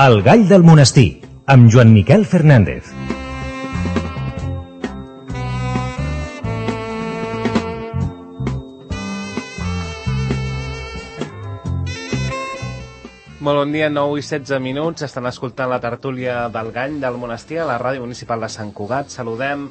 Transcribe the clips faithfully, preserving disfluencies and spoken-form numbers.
El gall del monestir, amb Joan Miquel Fernández. Molt bon dia, nou i setze minuts. Estan escoltant la tertúlia del Gall del Monestir a la Ràdio Municipal de Sant Cugat. Saludem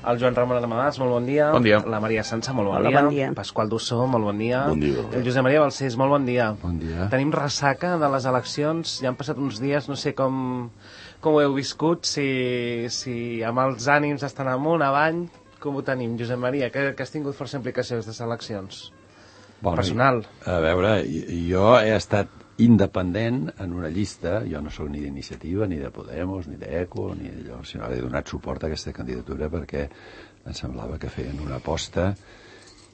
el Joan Ramon Amadàs, molt bon dia. Bon dia. La Maria Sança, molt bon, Hola, dia. bon dia. Pasqual Dussó, molt bon dia. Bon dia. El Josep Maria Balcells, molt bon dia. Bon dia. Tenim ressaca de les eleccions, ja han passat uns dies, no sé com, com ho heu viscut, si, si amb els ànims estan amunt, avall, com ho tenim, Josep Maria, que, que has tingut força implicacions de les eleccions? Bueno, Personal. A veure, jo he estat independent en una llista, jo no sóc ni d'iniciativa, ni de Podemos, ni d'Eco, ni d'allò, sinó que he donat suport a aquesta candidatura perquè em semblava que feien una aposta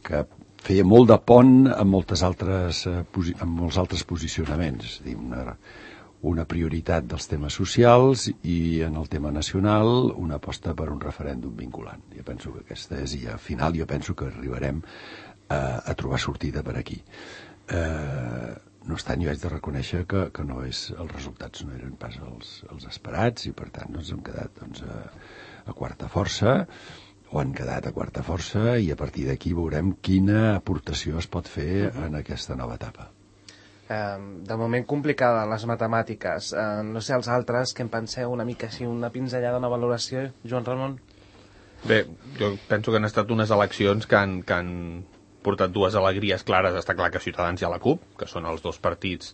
que feia molt de pont amb moltes altres, amb molts altres posicionaments, és a dir, una, una prioritat dels temes socials i en el tema nacional una aposta per un referèndum vinculant. Jo penso que aquesta és, i al final jo penso que arribarem a, a trobar sortida per aquí. Eh, no obstant, jo haig de reconèixer que, que no és, els resultats no eren pas els, els esperats i per tant doncs, hem quedat doncs, a, a quarta força o han quedat a quarta força i a partir d'aquí veurem quina aportació es pot fer en aquesta nova etapa. Eh, de moment complicada les matemàtiques, eh, no sé els altres que en penseu una mica així, una pinzellada, una valoració, Joan Ramon? Bé, jo penso que han estat unes eleccions que han, que han portat dues alegries clares. Està clar que Ciutadans i a la CUP, que són els dos partits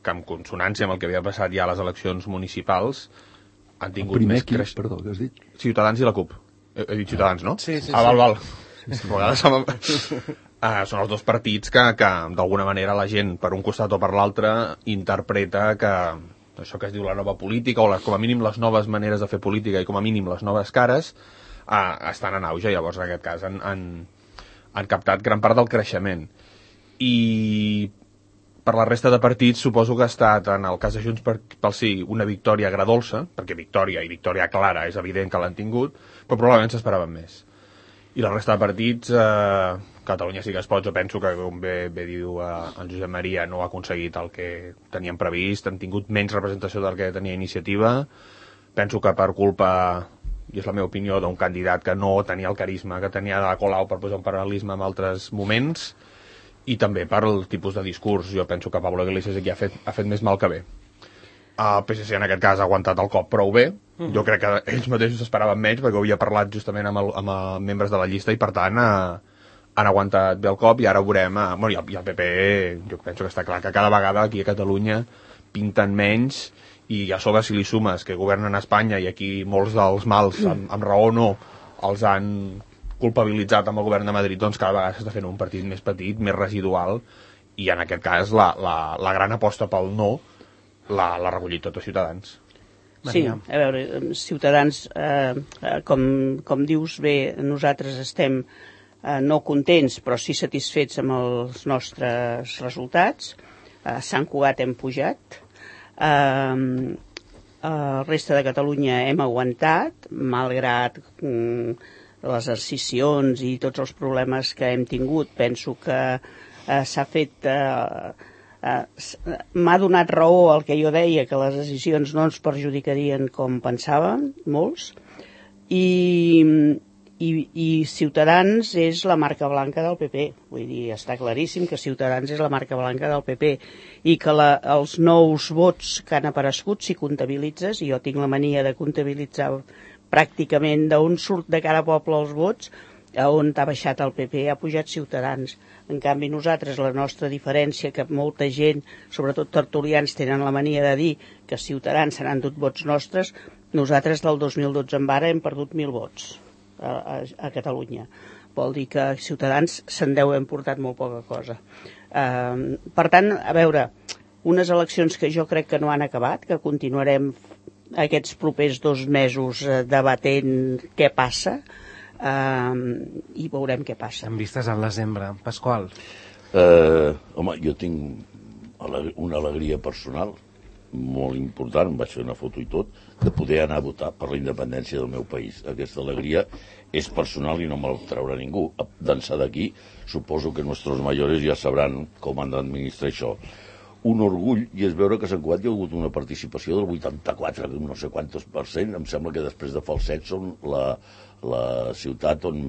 que en consonància amb el que havia passat ja a les eleccions municipals han tingut el primer més qui, creix... perdó, què has dit? Ciutadans i la CUP. He, he dit Ciutadans, no? Sí, sí, ah, sí. val, val. A vegades som... ah, són els dos partits que, que d'alguna manera la gent, per un costat o per l'altre, interpreta que això que es diu la nova política, o les, com a mínim les noves maneres de fer política i com a mínim les noves cares, ah, estan en auge. Llavors, en aquest cas, han, han, han captat gran part del creixement. I per la resta de partits suposo que ha estat, en el cas de Junts per, pel Sí, una victòria agradolça, perquè victòria i victòria clara és evident que l'han tingut, però probablement s'esperaven més. I la resta de partits, eh, Catalunya sí que es pot, jo penso que, com bé, bé diu eh, el Josep Maria, no ha aconseguit el que tenien previst, han tingut menys representació del que tenia Iniciativa. Penso que per culpa, i és la meva opinió, d'un candidat que no tenia el carisma que tenia de Colau, per posar un paral·lelisme amb altres moments, i també per el tipus de discurs. Jo penso que Pablo Iglesias aquí ha fet, ha fet més mal que bé. El P S C en aquest cas ha aguantat el cop prou bé. Mm. Jo crec que ells mateixos esperaven menys, perquè ho havia parlat justament amb, el, amb els membres de la llista i per tant eh, han aguantat bé el cop i ara veurem, eh, bueno, i el, i el P P jo penso que està clar que cada vegada aquí a Catalunya pinten menys i a sobre si li sumes que governen a Espanya i aquí molts dels mals, amb, amb raó o no, els han culpabilitzat amb el govern de Madrid, doncs cada vegada s'està fent un partit més petit, més residual, i en aquest cas la, la, la gran aposta pel no l'ha recollit tot a Ciutadans. Sí, a veure, Ciutadans, eh, com, com dius bé, nosaltres estem eh, no contents, però sí satisfets amb els nostres resultats. A Sant Cugat hem pujat, eh, a la resta de Catalunya hem aguantat, malgrat mm, les escissions i tots els problemes que hem tingut. Penso que eh, s'ha fet... Eh, Uh, m'ha donat raó el que jo deia, que les decisions no ens perjudicarien com pensàvem, molts, i, i, i Ciutadans és la marca blanca del P P. Vull dir, està claríssim que Ciutadans és la marca blanca del P P i que la, els nous vots que han aparegut, si comptabilitzes, i jo tinc la mania de comptabilitzar pràcticament d'on surt de cada poble els vots, a on ha baixat el P P, ha pujat Ciutadans. En canvi, nosaltres, la nostra diferència, que molta gent, sobretot tertulians, tenen la mania de dir que Ciutadans se n'han dut vots nostres, nosaltres del dos mil dotze en vara hem perdut mil vots a, a, a Catalunya. Vol dir que Ciutadans se'n deu hem portat molt poca cosa. Uh, per tant, a veure, unes eleccions que jo crec que no han acabat, que continuarem aquests propers dos mesos uh, debatent què passa, Uh, i veurem què passa. En vistes al desembre. Pasqual? Uh, home, jo tinc una alegria personal molt important, em vaig fer una foto i tot, de poder anar a votar per la independència del meu país. Aquesta alegria és personal i no me la traurà ningú. D'ençà d'aquí, suposo que nostres mayores ja sabran com han d'administrar això. un orgull i és veure que a Sant Cugat hi ha hagut una participació del vuitanta-quatre, no sé quantos per cent, em sembla que després de Falset són la, la ciutat on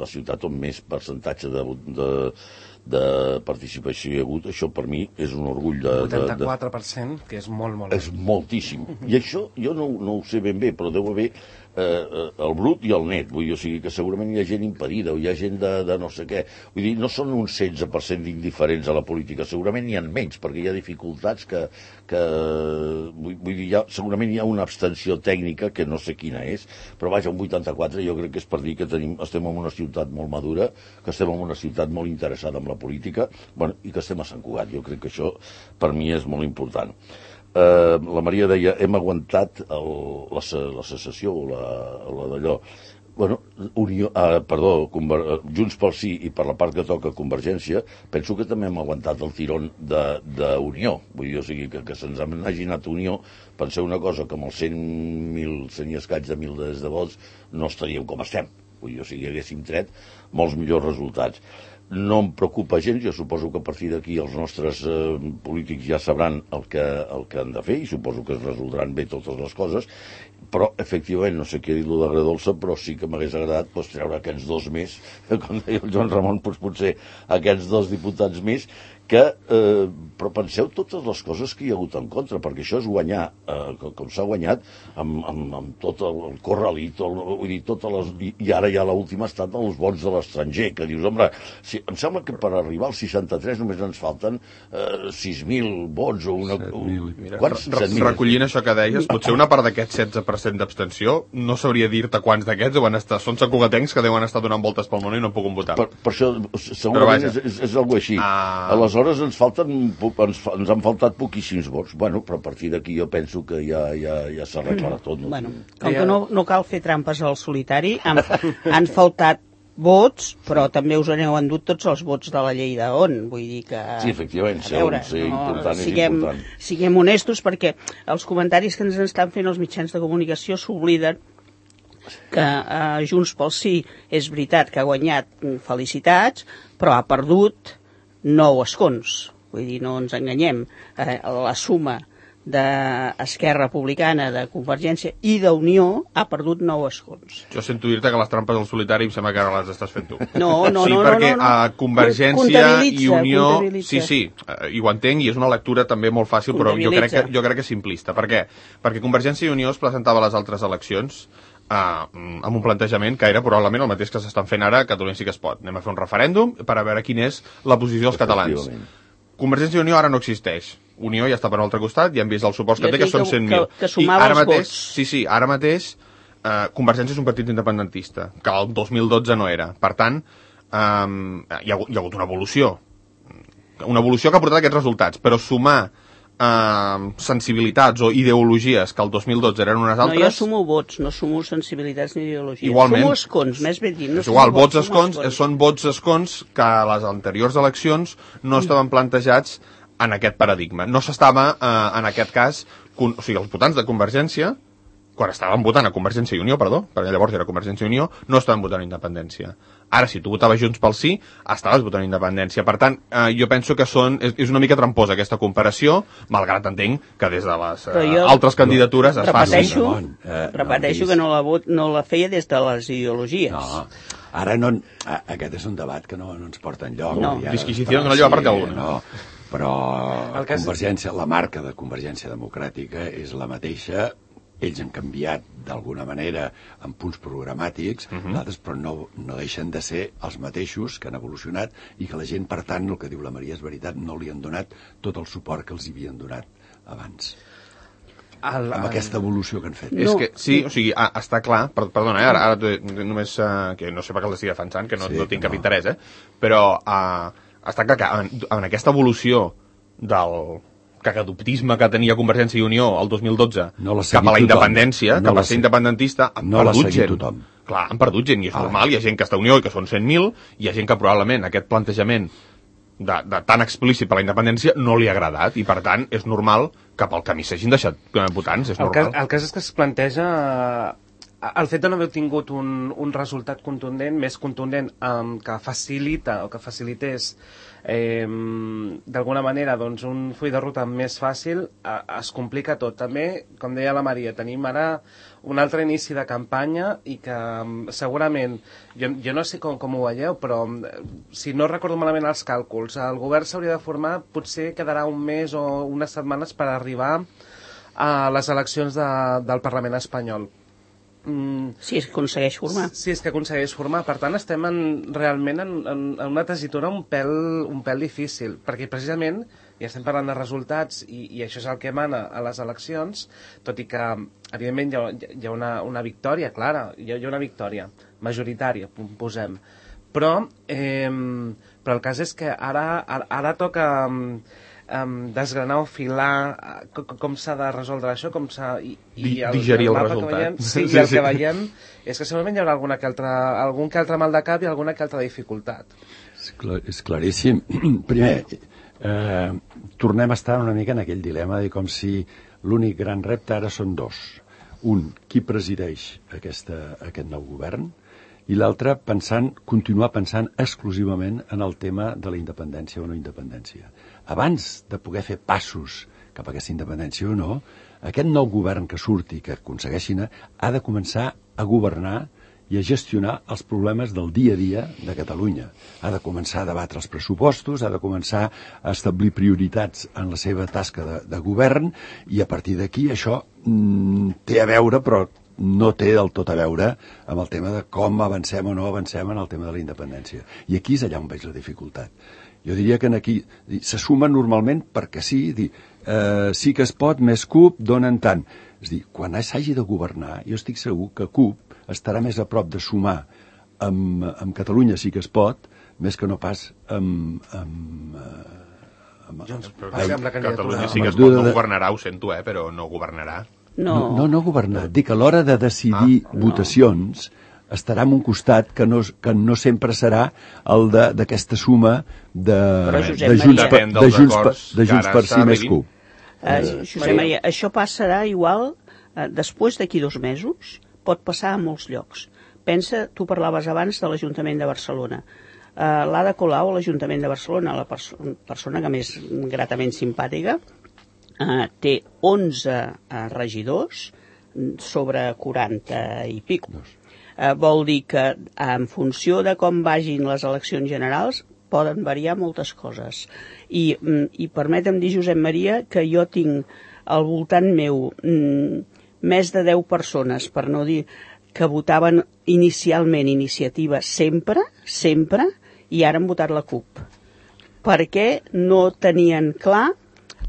la ciutat on més percentatge de, de, de participació hi ha hagut. Això per mi és un orgull de... vuitanta-quatre per cent, que és molt, molt... És moltíssim. I això jo no, no ho sé ben bé, però deu haver eh, el brut i el net, vull dir, o sigui que segurament hi ha gent impedida o hi ha gent de, de no sé què. Vull dir, no són un setze per cent d'indiferents a la política, segurament n'hi ha menys, perquè hi ha dificultats que... que vull, vull dir, hi ha, segurament hi ha una abstenció tècnica que no sé quina és, però vaja, un vuitanta-quatre jo crec que és per dir que tenim, estem en una ciutat molt madura, que estem en una ciutat molt interessada en la política, bueno, i que estem a Sant Cugat. Jo crec que això per mi és molt important. Uh, la Maria deia, hem aguantat el, la, la secessió o la, la d'allò. Bueno, Unió, uh, perdó, Conver, Junts pel Sí i per la part que toca Convergència, penso que també hem aguantat el tirón d'Unió. Vull dir, o sigui, que, que se'ns hagi anat Unió. Penseu una cosa, que amb els cent mil, cent i escaig de mil de vots no estaríem com estem. Vull dir, o sigui, haguéssim tret molts millors resultats. No em preocupa gens, jo suposo que a partir d'aquí els nostres eh, polítics ja sabran el que, el que han de fer i suposo que es resoldran bé totes les coses, però efectivament, no sé què dir-lo d'agredolça, però sí que m'hagués agradat pues, treure aquests dos més, com deia el Joan Ramon, pues, potser aquests dos diputats més, que, eh, però penseu totes les coses que hi ha hagut en contra, perquè això és guanyar, eh, com, com s'ha guanyat, amb, amb, amb tot el, el corralit, el, vull dir, totes les, i, i ara ja l'última ha estat els vots de l'estranger, que dius, home, si, em sembla que per arribar als seixanta-tres només ens falten eh, sis mil vots o una... set mil. Mira, quants? re, recollint això que deies, potser una part d'aquest setze per cent d'abstenció, no sabria dir-te quants d'aquests deuen estar, són sacugatencs que deuen estar donant voltes pel món i no han pogut votar. Per, per això, segurament és, és, és alguna així. Ah. Aleshores, Aleshores ens, falten, ens, ens han faltat poquíssims vots. Bueno, però a partir d'aquí jo penso que ja, ja, ja s'arreglarà tot. No? Bueno, com que no, no cal fer trampes al solitari, han, han faltat vots, però també us aneu endut tots els vots de la llei d'On. Vull dir que... Sí, efectivament, ser, veure, ser no, important siguem, és important. Siguem honestos, perquè els comentaris que ens estan fent els mitjans de comunicació s'obliden que eh, Junts pel Sí és veritat que ha guanyat, felicitats, però ha perdut nou escons. Vull dir, no ens enganyem. Eh, la suma d'Esquerra Republicana, de Convergència i d'Unió ha perdut nou escons. Jo sento dir-te que les trampes al solitari em sembla que ara les estàs fent tu. No, no, sí, no. perquè no, no, no. a Convergència i Unió... Sí, sí, i ho entenc, i és una lectura també molt fàcil, però jo crec, que, jo crec que és simplista. Per què? Perquè Convergència i Unió es presentava a les altres eleccions Uh, amb un plantejament que era probablement el mateix que s'estan fent ara a Catalunya Sí que es pot. Anem a fer un referèndum per a veure quina és la posició dels catalans. Convergència i Unió ara no existeix. Unió ja està per un altre costat, ja hem vist els suports que té, que són cent mil. Que, que sumava els mateix, vots. Sí, sí, ara mateix uh, Convergència és un partit independentista, que el dos mil dotze no era. Per tant, um, hi, ha, hi ha hagut una evolució. Una evolució que ha portat aquests resultats, però sumar Uh, sensibilitats o ideologies que el dos mil dotze eren unes altres... No, jo sumo vots, no sumo sensibilitats ni ideologies. Igualment. Sumo escons, més ben dit. No és igual, vots, vots escons, escons. Són vots escons que a les anteriors eleccions no estaven plantejats en aquest paradigma. No s'estava, uh, en aquest cas, con... o sigui, els votants de Convergència, quan estaven votant a Convergència i Unió, perdó, perquè llavors era Convergència i Unió, no estaven votant independència. Ara, si tu votaves Junts pel Sí, estaves votant independència. Per tant, eh, jo penso que són, és, és una mica tramposa aquesta comparació, malgrat entenc que des de les eh, jo, altres candidatures es faci. Repeteixo, eh, repeteixo no, que no la, vot, no la feia des de les ideologies. No, ara no, aquest és un debat que no, no ens porta enlloc. No, disquisició que no lleva part alguna. No, però Convergència, la marca de Convergència Democràtica és la mateixa. Ells han canviat d'alguna manera en punts programàtics, uh-huh. Nosaltres, però no, no deixen de ser els mateixos que han evolucionat i que la gent, per tant, el que diu la Maria és veritat, no li han donat tot el suport que els havien donat abans. El, amb el... aquesta evolució que han fet. No. És que, sí, o sigui, ah, està clar, per, perdona, eh, ara, ara només, uh, que no sé per què els estic defensant, que no, sí, no tinc cap no. interès, eh, però uh, està clar que en, en aquesta evolució del cagadoptisme que tenia Convergència i Unió el dos mil dotze no cap a la independència, no cap a ser independentista, han no perdut gent. Tothom. Clar, han perdut gent, i és ah. normal, hi ha gent que està a Unió i que són cent mil, hi ha gent que probablement aquest plantejament de, de tan explícit per la independència no li ha agradat, i per tant és normal que pel camí s'hagin deixat votants, és el normal. Cas, el cas és que es planteja el fet de no haver tingut un, un resultat contundent, més contundent, um, que facilita o que facilités eh, d'alguna manera doncs, un full de ruta més fàcil, eh, es complica tot. També, com deia la Maria, tenim ara un altre inici de campanya i que um, segurament, jo, jo no sé com, com ho veieu, però si no recordo malament els càlculs, el govern s'hauria de formar, potser quedarà un mes o unes setmanes per arribar a les eleccions de, del Parlament espanyol. Mm. Si és que aconsegueix formar. Si és que aconsegueix formar. Per tant, estem en, realment en, en, en una tessitura un pèl, un pèl difícil, perquè precisament ja estem parlant de resultats i, i això és el que emana a les eleccions, tot i que, evidentment, hi ha, hi ha una, una victòria clara, hi ha, hi ha una victòria majoritària, posem. Però, eh, però el cas és que ara, ara, ara toca um, desgranar o filar com, com s'ha de resoldre això, com s'ha... I, i el, digerir el, el resultat. Veiem, sí, sí, i el sí. que veiem és que segurament hi haurà alguna que altra, algun que altre mal de cap i alguna que altra dificultat. És, clar, és claríssim. Primer, eh, tornem a estar una mica en aquell dilema de com si l'únic gran repte ara són dos. Un, qui presideix aquesta, aquest nou govern, i l'altre pensant, continuar pensant exclusivament en el tema de la independència o no independència. Abans de poder fer passos cap a aquesta independència o no, aquest nou govern que surti, que aconsegueixin, ha de començar a governar i a gestionar els problemes del dia a dia de Catalunya. Ha de començar a debatre els pressupostos, ha de començar a establir prioritats en la seva tasca de, de govern, i a partir d'aquí això mm, té a veure, però no té del tot a veure amb el tema de com avancem o no avancem en el tema de la independència. I aquí és allà on veig la dificultat. Jo diria que aquí se sumen normalment perquè sí, dir, eh, sí que es pot, més C U P, donen tant. És dir, quan s'hagi de governar, jo estic segur que C U P estarà més a prop de sumar amb, amb Catalunya sí que es pot, més que no pas amb... amb, amb, Junts, amb, amb, amb Catalunya sí que es pot, no governarà, ho sento, eh, però no governarà. No, no, no governar. Dic que a l'hora de decidir ah, votacions no. estarà en un costat que no, que no sempre serà el d'aquesta suma de, de Junts per, de Junts per, de Junts per sí més C U P. Uh, Josep Maria, això passarà igual uh, després d'aquí dos mesos, pot passar a molts llocs. Pensa, tu parlaves abans de l'Ajuntament de Barcelona. Uh, L'Ada Colau, a l'Ajuntament de Barcelona, la perso persona que més gratament simpàtica, Uh, té onze uh, regidors sobre quaranta i pico. Uh, vol dir que en funció de com vagin les eleccions generals poden variar moltes coses. I, i permetem dir, Josep Maria, que jo tinc al voltant meu mm, més de deu persones, per no dir que votaven inicialment Iniciativa sempre, sempre, i ara han votat la C U P. Perquè no tenien clar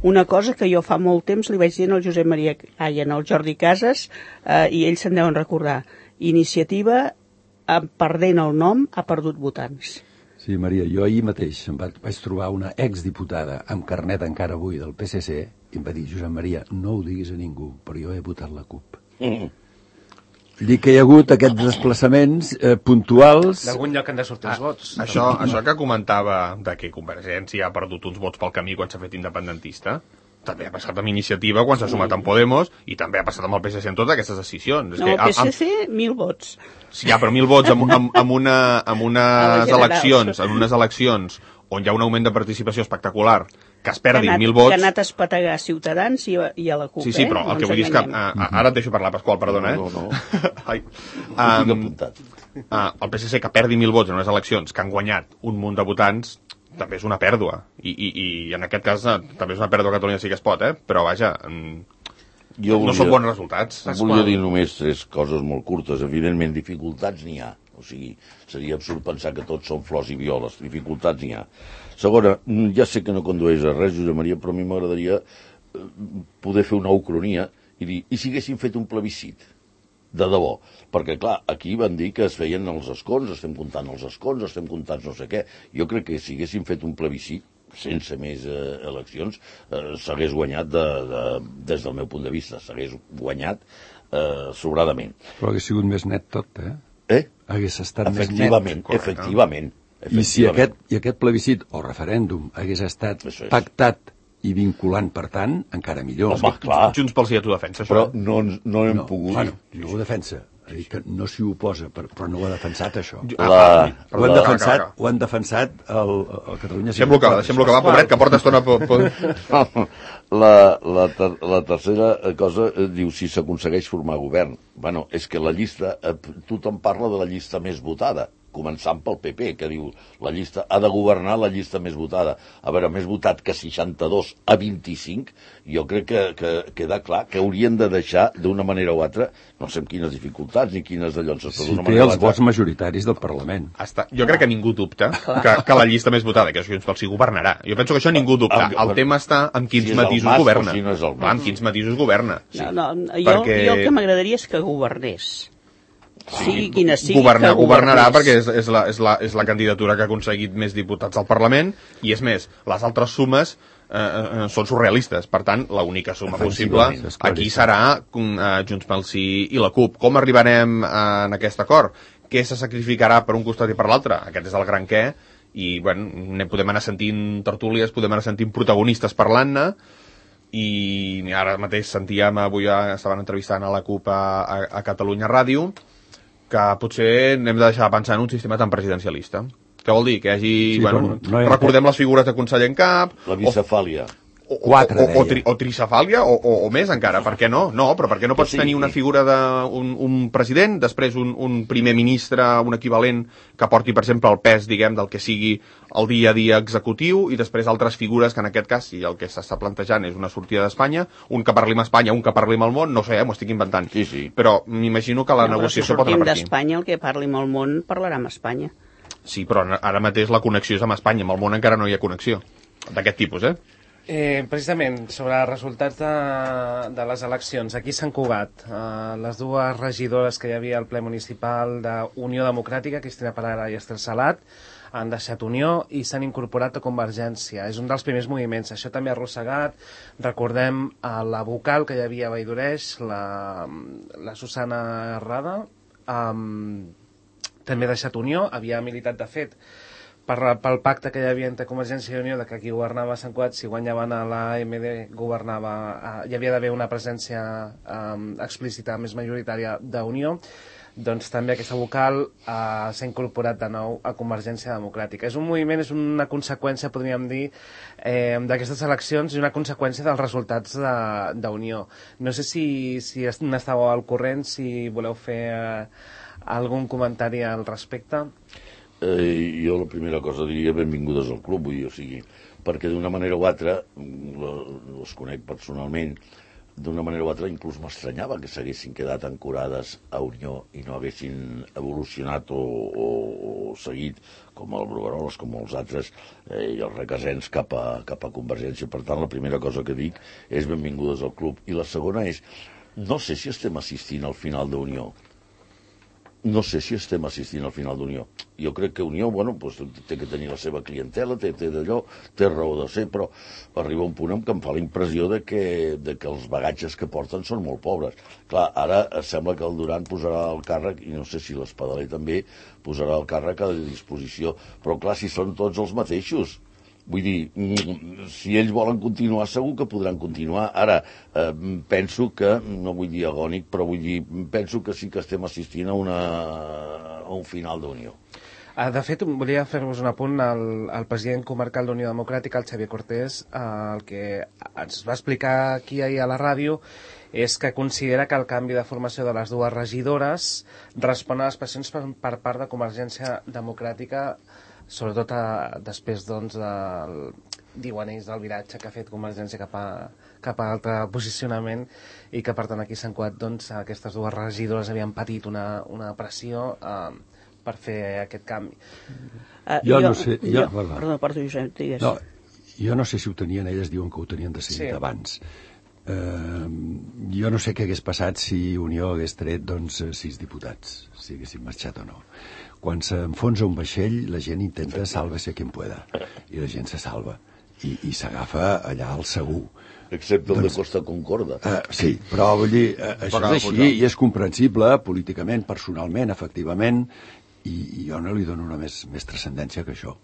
una cosa que jo fa molt temps li vaig dir al Josep Maria, ai, al Jordi Casas, eh, i ells se'n deuen recordar. Iniciativa, eh, perdent el nom, ha perdut votants. Sí, Maria, jo ahir mateix em vaig, vaig trobar una exdiputada amb carnet encara avui del P S C i em va dir, Josep Maria, no ho diguis a ningú, però jo he votat la C U P. Mm. Dic que hi ha hagut aquests desplaçaments eh, puntuals... D'algun lloc han de sortir els vots. Ah, això, això que comentava de que Convergència ha perdut uns vots pel camí quan s'ha fet independentista, també ha passat amb Iniciativa quan s'ha sumat amb Podemos i també ha passat amb el P S C en totes aquestes decisions. No, el P S C, amb... mil vots. Sí, ja, però mil vots amb, amb, amb, una, amb unes eleccions, en unes eleccions on hi ha un augment de participació espectacular, que es perdin anat, mil vots... Que ha anat a espetegar a Ciutadans i a, i a la C U P, Sí, sí, però eh? el que vull dir és que... Uh, ara et deixo parlar, Pasqual, perdona, eh? No, no, no. Ai. Um, uh, el P S C que perdi mil vots en unes eleccions que han guanyat un munt de votants també és una pèrdua. I, i, i en aquest cas uh, també és una pèrdua a Catalunya sí que es pot, eh? Però vaja... Um, jo volia, no són bons resultats. Volia dir només tres coses molt curtes. Evidentment, dificultats n'hi ha. O sigui, seria absurd pensar que tots són flors i violes. Dificultats n'hi ha. Segona, ja sé que no condueix a res, Josep Maria, però a mi m'agradaria poder fer una ucronia i dir, i si haguéssim fet un plebiscit? De debò. Perquè, clar, aquí van dir que es feien els escons, estem comptant els escons, estem comptant no sé què. Jo crec que si haguéssim fet un plebiscit, sense més eh, eleccions, eh, s'hagués guanyat de, de, des del meu punt de vista, s'hagués guanyat eh, sobradament. Però hagués sigut més net tot, eh? Eh? Hagués estat més net. Efectivament, efectivament. I si aquest, i aquest plebiscit o referèndum hagués estat pactat i vinculant, per tant, encara millor. Home, clar. Junts pel Sí a tu defensa, això. Però no, no hem no, pogut... Bueno, no ho defensa. Ha dit que no s'hi oposa, però no ho ha defensat, això. La, Ho han la, defensat, ho han defensat el, el Catalunya... Deixem-lo acabar, deixem-lo acabar, pobret, que porta estona... Po, po... la, la, ter, la tercera cosa eh, diu si s'aconsegueix formar govern. Bueno, és que la llista, eh, tothom parla de la llista més votada, començant pel P P, que diu la llista ha de governar la llista més votada. A veure, més votat que seixanta-dos a vint-i-cinc, jo crec que, que queda clar que haurien de deixar d'una manera o altra, no sé amb quines dificultats ni quines de llonses, però Si d'una té manera o els altra... vots majoritaris del Parlament. Està. Jo crec que ningú dubta que, que la llista més votada, que Junts pel Sí governarà. Jo penso que això ningú dubta. El tema està amb quins Si és el matisos Mas o governa. si no és el Mas. Clar, amb quins matisos governa. No, no, jo, Perquè- jo el que m'agradaria és que governés. Sigui quina sigui, Governar, que governarà governés. perquè és, és, la, és, la, és la candidatura que ha aconseguit més diputats al Parlament, i és més, les altres sumes eh, eh, són surrealistes. Per tant, l'única suma possible Efectivament, és claríssim. aquí serà eh, Junts pel Sí i la CUP. Com arribarem eh, en aquest acord? Què se sacrificarà per un costat i per l'altre? Aquest és el gran què, i bueno, ne podem anar sentint tertúlies, podem anar sentint protagonistes parlant-ne, i ara mateix sentíem, avui estaven entrevistant a la CUP a, a, a Catalunya Ràdio, que potser hem de deixar de pensar en un sistema tan presidencialista. Què vol dir? Que hi hagi... Sí, bueno, però no hi ha- recordem les figures de conseller en cap... La bicefàlia. O, o, Quatre, o, o, deia. tri, o tricefàlia, o, o, o més encara. Per què no? No, però per què no pots Sí, tenir una sí. figura d'un un president, després un, un primer ministre, un equivalent que porti, per exemple, el pes, diguem, del que sigui el dia a dia executiu, i després altres figures que en aquest cas, si el que s'està plantejant és una sortida d'Espanya, un que parli amb Espanya, un que parli amb el món, no sé, eh, m'ho estic inventant. Sí, sí. Però m'imagino que la No, però negociació si pot anar sortim per aquí. d'Espanya, el que parli amb el món parlarà amb Espanya. Sí, però ara mateix la connexió és amb Espanya, amb el món encara no hi ha connexió. D'aquest tipus, eh? Eh, precisament, sobre els resultats de, de les eleccions, aquí a Sant Cugat, eh, les dues regidores que hi havia al ple municipal d'Unió Democràtica, Cristina Parera i Estel Salat, han deixat Unió i s'han incorporat a Convergència. És un dels primers moviments. Això també ha arrossegat. Recordem a la vocal que hi havia a Valldoreig, la, la Susana Rada, um, també ha deixat Unió, havia militat de fet per, pel pacte que hi havia entre Convergència i Unió, de que qui governava a Sant Cugat, si guanyaven a l'A M D, governava, eh, hi havia d'haver una presència eh, explícita més majoritària d'Unió. Doncs també aquesta vocal eh, s'ha incorporat de nou a Convergència Democràtica. És un moviment, és una conseqüència, podríem dir, eh, d'aquestes eleccions i una conseqüència dels resultats d'Unió. No sé si, si n'estàveu al corrent, si voleu fer eh, algun comentari al respecte. Eh, jo la primera cosa diria benvingudes al club, vull dir, o sigui, perquè d'una manera o altra, els conec personalment, d'una manera o altra inclús m'estranyava que s'haguessin quedat ancorades a Unió i no haguessin evolucionat o, o, o seguit com el Brugueroles, com els altres eh, i els requesens cap a, cap a Convergència. Per tant, la primera cosa que dic és benvingudes al club. I la segona és, no sé si estem assistint al final d'Unió. No sé si estem assistint al final d'Unió. Jo crec que Unió, bueno, pues, té que tenir la seva clientela, té, té d'allò, té raó de ser, però arriba un punt en què em fa la impressió de que, de que els bagatges que porten són molt pobres. Clar, ara sembla que el Duran posarà el càrrec, i no sé si l'Espadaler també posarà el càrrec a disposició, però clar, si són tots els mateixos. Vull dir, si ells volen continuar, segur que podran continuar. Ara, eh, penso que, no vull dir agònic, però vull dir, penso que sí que estem assistint a, una, a un final d'Unió. De fet, volia fer-vos un apunt al, al president comarcal d'Unió Democràtica, el Xavier Cortés, el que ens va explicar aquí ahir a la ràdio és que considera que el canvi de formació de les dues regidores respon a les pressions per, per part de Convergència Democràtica, sobretot a, després doncs, del, diuen ells, del viratge que ha fet Convergència cap a, cap a altre posicionament, i que per tant aquí a Sant Cugat doncs, aquestes dues regidores havien patit una, una pressió eh, per fer aquest canvi. Uh, Jo no sé, jo- Jo, perdó. perdó, perdó, Josep, digues. No, jo no sé si ho tenien, elles diuen que ho tenien decidit Sí. abans. Eh, jo no sé què hagués passat si Unió hagués tret doncs, sis diputats, si haguessin marxat o no. Quan s'enfonsa un vaixell, la gent intenta sálvese quien pueda, i la gent se salva, i, i s'agafa allà al segur. Excepte el Doncs- de Costa Concorda. Uh, sí, però vull dir, uh, això acaba és així posant. i és comprensible políticament, personalment, efectivament, i, i jo no li dono una més, més transcendència que això.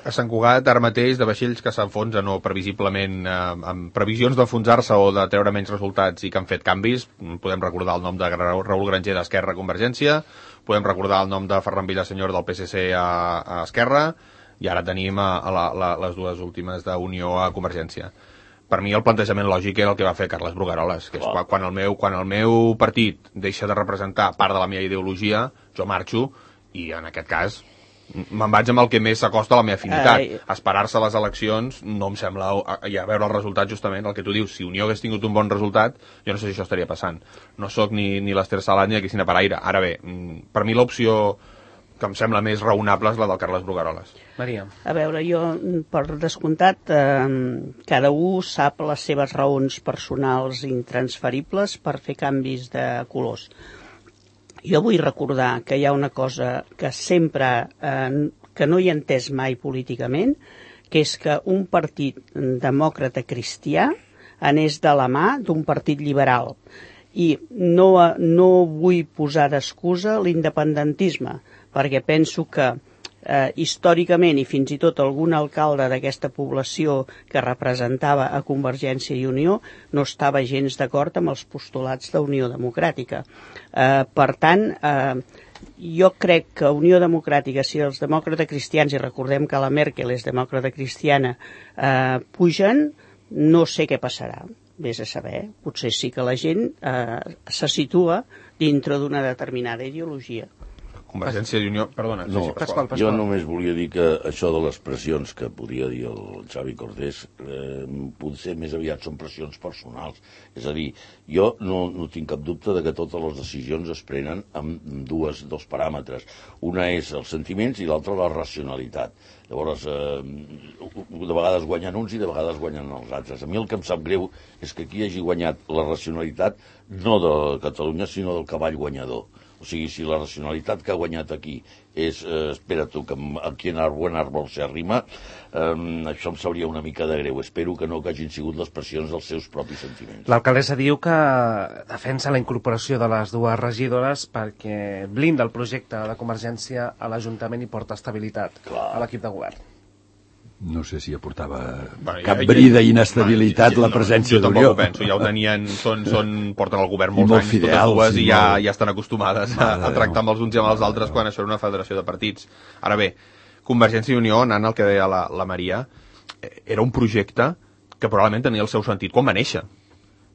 A Sant Cugat, ara mateix, de vaixells que s'enfonsen o previsiblement eh, amb previsions d'enfonsar-se o de treure menys resultats i que han fet canvis, podem recordar el nom de Raül Granger d'Esquerra a Convergència, podem recordar el nom de Ferran Villasenyor del P S C a, a Esquerra, i ara tenim a, a la, la, les dues últimes d'Unió a Convergència. Per mi el plantejament lògic era el que va fer Carles Brugueroles, que és quan, quan, el meu, quan el meu partit deixa de representar part de la meva ideologia, jo marxo, i en aquest cas me'n vaig amb el que més s'acosta a la meva afinitat. Ai. Esperar-se a les eleccions no em sembla, i a veure el resultat justament, el que tu dius, si Unió hagués tingut un bon resultat, jo no sé si això estaria passant. No sóc ni, ni l'Ester Salat ni la Cristina Paraire. Ara bé, per mi l'opció que em sembla més raonable és la del Carles Brugueroles. Maria. A veure, jo, per descomptat, eh, cada un sap les seves raons personals intransferibles per fer canvis de colors. Jo vull recordar que hi ha una cosa que sempre, eh, que no hi he entès mai políticament, que és que un partit demòcrata cristià anés de la mà d'un partit liberal. I no, no vull posar d'excusa l'independentisme, perquè penso que eh, històricament i fins i tot algun alcalde d'aquesta població que representava a Convergència i Unió no estava gens d'acord amb els postulats d'Unió Democràtica. Eh, per tant, eh, jo crec que Unió Democràtica, si els demòcrates cristians, i recordem que la Merkel és demòcrata cristiana, eh, pugen, no sé què passarà. Vés a saber, potser sí que la gent eh, se situa dintre d'una determinada ideologia. Convergència i Unió... Perdona, no, sí, Pasqual, Pasqual. Jo només volia dir que això de les pressions que podia dir el Xavi Cordés eh, potser més aviat són pressions personals. És a dir, jo no, no tinc cap dubte de que totes les decisions es prenen amb dues, dos paràmetres. Una és els sentiments i l'altra la racionalitat. Llavors, eh, de vegades guanyen uns i de vegades guanyen els altres. A mi el que em sap greu és que aquí hagi guanyat la racionalitat no de Catalunya, sinó del cavall guanyador. O sigui, si la racionalitat que ha guanyat aquí és, eh, espera tu, que aquí en el buen árbol se arrima, eh, això em sabria una mica de greu. Espero que no que hagin sigut les pressions dels seus propis sentiments. L'alcaldessa diu que defensa la incorporació de les dues regidores perquè blinda el projecte de Convergència a l'Ajuntament i porta estabilitat Clar. a l'equip de govern. No sé si aportava bueno, cap ja, bri ja, d'inestabilitat ja, la presència no, d'Unió. Jo tampoc ho penso, ja ho tenien, són, són, porten al govern molts anys, fidels, totes dues, i ja, molt... ja estan acostumades a, a tractar amb els uns i amb els altres quan això era una federació de partits. Ara bé, Convergència i Unió, anant al que deia la, la Maria, era un projecte que probablement tenia el seu sentit quan va néixer.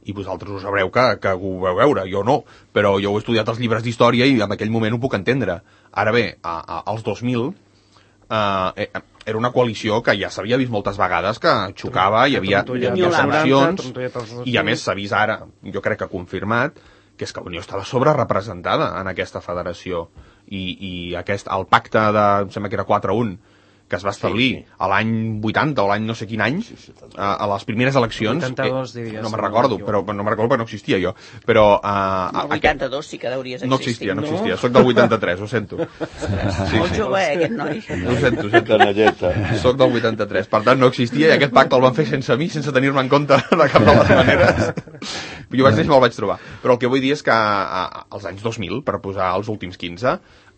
I vosaltres ho sabreu que, que ho veu veure, jo no, però jo ho he estudiat als llibres d'història i en aquell moment ho puc entendre. Ara bé, a, a, als dos mil... Uh, eh, era una coalició que ja s'havia vist moltes vegades que xocava, hi havia tensions, i a més s'ha vist ara, jo crec que confirmat, que és que la Unió estava sobrerepresentada en aquesta federació, i, i aquest, el pacte de, em sembla que era quatre a un, que es va establir sí, sí. a l'any vuitanta o l'any no sé quin any, sí, sí, a, a les primeres eleccions, vuitanta-dos, diries, no me'n recordo, però no me'n recordo perquè no existia jo, però... Uh, el vuitanta-dos sí que deuries existir. No existia, no existia, soc del vuitanta-tres, ho sento. Sí, molt sí. jove, eh, aquest noi. Ho sento, ho sento. Soc del vuitanta-tres, per tant no existia i aquest pacte el van fer sense mi, sense tenir-me en compte de cap de les maneres. Jo vaig néixer i me'l vaig trobar. Però el que vull dir és que als anys dos mil, per posar els últims quinze,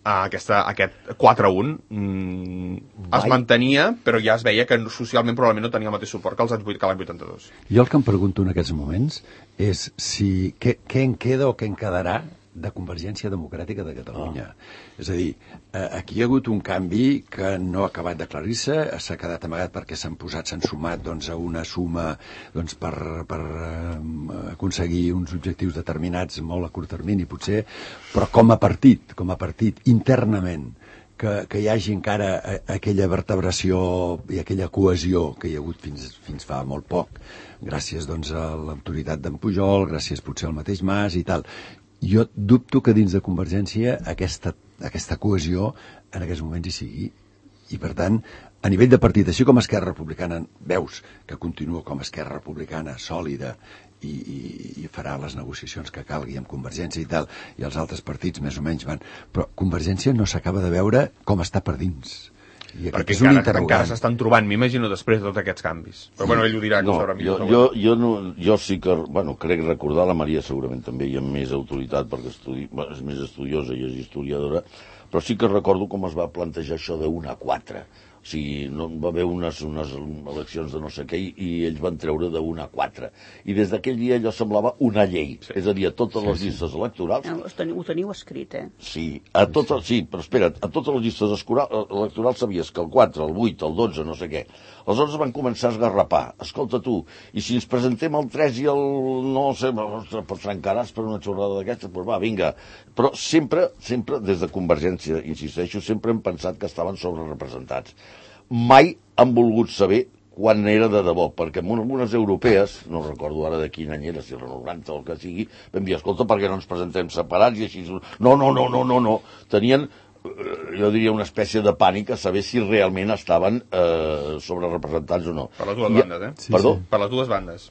Aquesta, aquest quatre a un mm, es mantenia, però ja es veia que socialment probablement no tenia el mateix suport que els anys vuit, que l'any vuitanta-dos. Jo el que em pregunto en aquests moments és si què, què en queda o què en quedarà de Convergència Democràtica de Catalunya. Oh. És a dir, aquí hi ha hagut un canvi que no ha acabat d'aclarir-se, s'ha quedat amagat perquè s'han posat, s'han sumat doncs, a una suma doncs, per, per um, aconseguir uns objectius determinats molt a curt termini, potser, però com a partit, com a partit, internament, que, que hi hagi encara aquella vertebració i aquella cohesió que hi ha hagut fins, fins fa molt poc, gràcies doncs, a l'autoritat d'en Pujol, gràcies potser al mateix Mas i tal. Jo dubto que dins de Convergència aquesta, aquesta cohesió en aquests moments hi sigui. I, per tant, a nivell de partit, així com Esquerra Republicana veus que continua com Esquerra Republicana sòlida i, i, i farà les negociacions que calgui amb Convergència i tal, i els altres partits més o menys van... Però Convergència no s'acaba de veure com està per dins. I perquè encara, encara s'estan trobant, m'imagino, després de tots aquests canvis. Però sí. Bueno, ell ho dirà, que no, ho sabrà millor. Jo, jo, jo, no, jo sí que, bueno, crec recordar, la Maria segurament també hi ha més autoritat perquè estudi, bueno, és més estudiosa i és historiadora, però sí que recordo com es va plantejar això de un a quatre. O sigui, no, va haver unes, unes eleccions de no sé què i, i ells van treure de una a quatre. I des d'aquell dia allò semblava una llei. Sí. És a dir, a totes les llistes electorals... Ho teniu, ho teniu escrit, eh? Sí, a totes, sí, però espera't, a totes les llistes escura- electorals sabies que el quatre, el vuit, el dotze, no sé què. Aleshores van començar a esgarrapar. Escolta tu, i si ens presentem el tres i el... no sé, ostres, pots trencaràs per una xorrada d'aquestes? Doncs pues va, vinga. Però sempre, sempre, des de Convergència, insisteixo, sempre hem pensat que estaven sobrerepresentats. Mai han volgut saber quan era de debò, perquè en algunes europees, no recordo ara de quin any era, si era noranta o el que sigui, vam dir, escolta, per què no ens presentem separats i així... No, no, no, no, no, no. Tenien, jo diria, una espècie de pànic a saber si realment estaven eh, sobrerepresentats o no. Per les dues I, bandes, eh? Sí, Perdó? Sí. Per les dues bandes.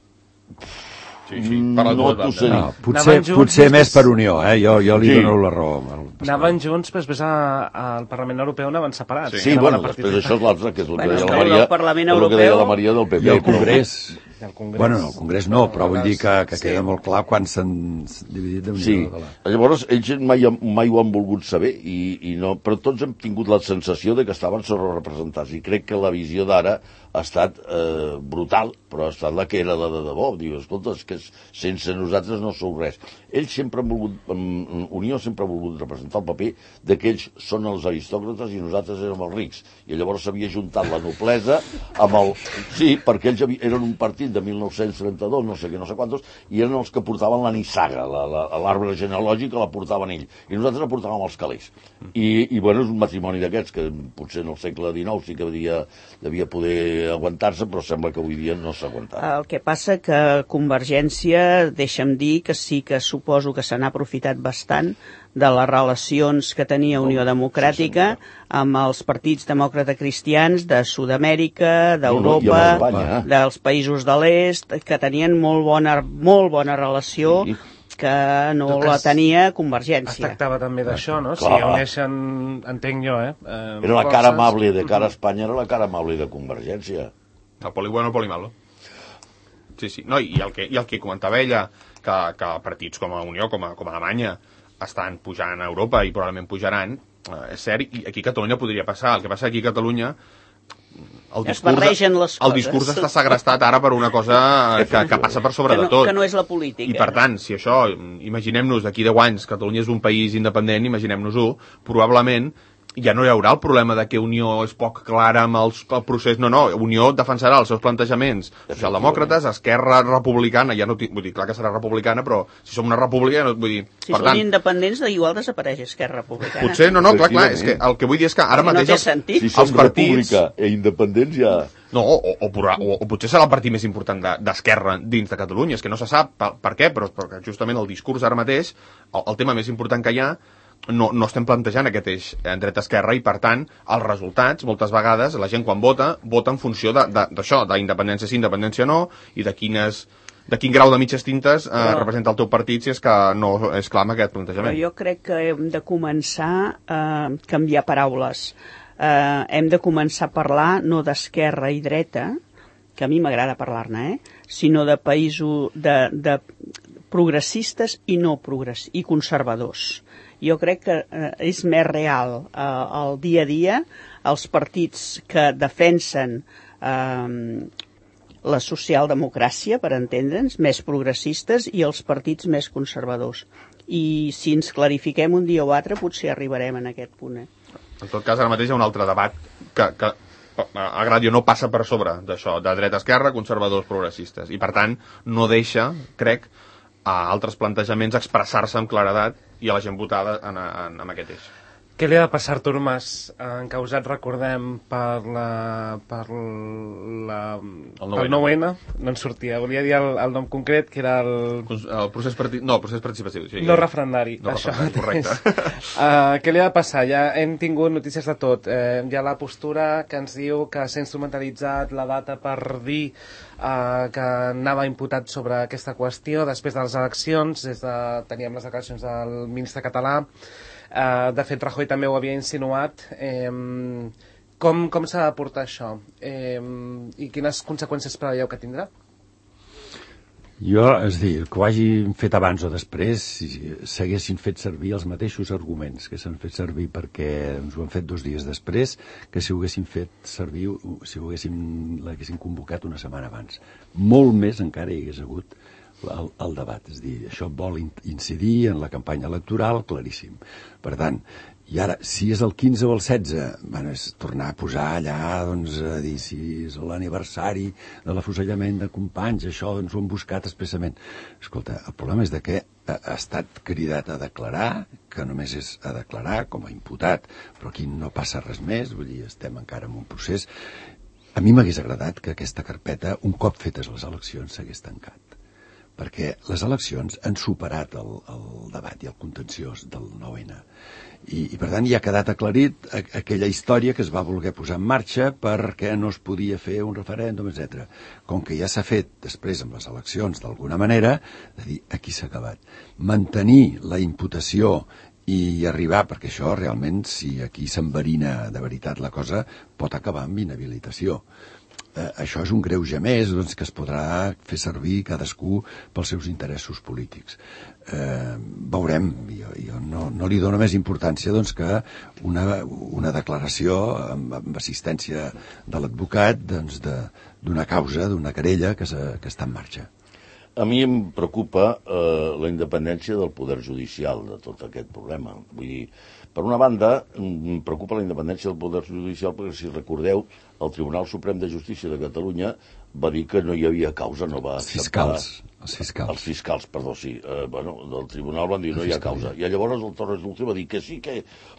Sí, sí, per les no dues t'ho bandes. sé dir. No, potser, Anaven junts potser després- més per Unió, eh? Jo, jo li Sí. dono la raó. al Pasqual. Anaven junts, però després a- al Parlament Europeu anaven separats. Sí, Anaven bueno, a partir després de- això és l'altre, que és el que Bueno, deia és la que Maria, el Parlament és el que deia Europeu la Maria del P P. I el però- Congrés... I el Congrés. Bueno, no, el Congrés no, però vull dir que, que Sí. queda molt clar quan s'han dividit de Sí, Unió. Sí. llavors ells mai, mai ho han volgut saber, i, i no, però tots hem tingut la sensació de que estaven sobrerepresentats, i crec que la visió d'ara ha estat eh, brutal, però ha estat la que era la de debò. Diu, escolta, és que sense nosaltres no sou res. Ells sempre han volgut, Unió sempre ha volgut representar el paper de que ells són els aristòcrates i nosaltres érem els rics, i llavors s'havia juntat la noblesa amb el... Sí, perquè ells havia, eren un partit de mil nou-cents trenta-dos, no sé què, no sé quantos, i eren els que portaven la nissaga, l'arbre genealògic la portaven ells, i nosaltres la portàvem els calés. I, i bueno, és un matrimoni d'aquests que potser en el segle dinou sí que devia, devia poder aguantar-se, però sembla que avui dia no s'aguantarà. El que passa que Convergència, deixa'm dir que sí que suposo que se n'ha aprofitat bastant de les relacions que tenia Unió Democràtica amb els partits demòcrata cristians de Sud-amèrica, d'Europa, No, no, i amb Espanya. dels països de l'est, que tenien molt bona, molt bona relació, Sí. que no En tot la cas, tenia Es Convergència. tractava també d'això, no? Si Clar. uneixen, entenc jo, eh? eh Era la forces. cara amable de cara a Espanya, era la cara amable de Convergència. El poli bueno, el poli malo. Sí, sí. No, i, el que, I el que comentava ella, que, que partits com a Unió, com a, com a Alemanya, estan pujant a Europa i probablement pujaran, eh, és cert, i aquí a Catalunya podria passar. El que passa aquí a Catalunya... El Es barregen les el coses. discurs està segrestat ara per una cosa que, que passa per sobre que no, de tot. que no és la política. I per tant, si això, imaginem-nos d'aquí deu anys, Catalunya és un país independent, imaginem-nos-ho, probablement ja no hi haurà el problema de que Unió és poc clara amb els, el procés. No, no, Unió defensarà els seus plantejaments socialdemòcrates, Esquerra Republicana, ja no tinc, vull dir, clar que serà republicana, però si som una república, no, vull dir... Si per són tant, independents, igual desapareix Esquerra Republicana. potser, no, no, clar, clar, és que el que vull dir és que ara No mateix... té els- sentit. Si som els partits... república e independents ja... No, o, o, o, o potser serà el partit més important de- d'Esquerra dins de Catalunya, és que no se sap per, per què, però perquè justament el discurs ara mateix, el, el tema més important que hi ha, no, no estem plantejant aquest eix en dreta-esquerra, i per tant els resultats, moltes vegades, la gent quan vota, vota en funció d'això, d'independència sí, independència no, i de quines... de quin grau de mitges tintes eh, Però- representa el teu partit si és que no és clar amb aquest Però plantejament. jo crec que hem de començar a canviar paraules. Eh, hem de començar a parlar no d'esquerra i dreta, que a mi m'agrada parlar-ne, eh? sinó de països de, de progressistes i no progress i conservadors. Jo crec que eh, és més real eh, el dia a dia els partits que defensen eh, la socialdemocràcia, per entendre'ns, més progressistes, i els partits més conservadors. I si ens clarifiquem un dia o altre, potser arribarem en aquest punt. Eh? En tot cas, ara mateix hi ha un altre debat que, que a Gradio no passa per sobre d'això, de dreta-esquerra, conservadors progressistes, i per tant no deixa, crec, a altres plantejaments expressar-se amb claredat i a la gent votada en, en, en aquest eix. Què li ha de passar a Artur Mas, encausat, recordem, per la... per la... el nou N? No en sortia. Volia dir el, el nom concret, que era el... El procés partit... No, el procés participatiu. Sí, no referendari. No això referendari, correcte. uh, què li ha de passar? Ja hem tingut notícies de tot. Uh, hi ha la postura que ens diu que s'ha instrumentalitzat la data per dir uh, que anava imputat sobre aquesta qüestió després de les eleccions. Des de... Teníem les declaracions del ministre català. Uh, de fet, Rajoy també ho havia insinuat. Eh, com com s'ha de portar això? Eh, I quines conseqüències preveieu que tindrà? Jo, és a dir, que ho hagin fet abans o després, si s'haguessin fet servir els mateixos arguments que s'han fet servir perquè ens ho han fet dos dies després, que si ho haguessin fet servir, si ho haguessin, l'haguessin convocat una setmana abans. Molt més encara hi hagués hagut el, el debat. És a dir, això vol incidir en la campanya electoral, claríssim. Per tant, i ara, si és el quinze o el setze, bueno, és tornar a posar allà, doncs, a dir si és l'aniversari de l'afusellament de companys, això ens ho han buscat expressament. Escolta, el problema és de que ha estat cridat a declarar, que només és a declarar com a imputat, però aquí no passa res més, vull dir, estem encara en un procés. A mi m'hagués agradat que aquesta carpeta, un cop fetes les eleccions, s'hagués tancat, perquè les eleccions han superat el, el debat i el contenciós del nou ene. I, i per tant ja ha quedat aclarit a, aquella història que es va voler posar en marxa perquè no es podia fer un referèndum, etcètera. Com que ja s'ha fet després amb les eleccions d'alguna manera, de dir, aquí s'ha acabat. Mantenir la imputació i arribar, perquè això realment, si aquí s'enverina de veritat la cosa, pot acabar amb inhabilitació. Eh, això és un greuge més, doncs, que es podrà fer servir cadascú pels seus interessos polítics. Eh, veurem, jo, jo no, no li dono més importància doncs, que una, una declaració amb, amb assistència de l'advocat doncs, de, d'una causa, d'una querella que, se, que està en marxa. A mi em preocupa eh, la independència del poder judicial de tot aquest problema. Vull dir, per una banda, em preocupa la independència del poder judicial perquè, si recordeu, el Tribunal Suprem de Justícia de Catalunya va dir que no hi havia causa, no va acceptar... Fiscals. Els fiscals. Els fiscals, perdó, sí. Eh, bueno, del tribunal van dir no hi ha causa. I llavors el Torres Dulce va dir que sí, que...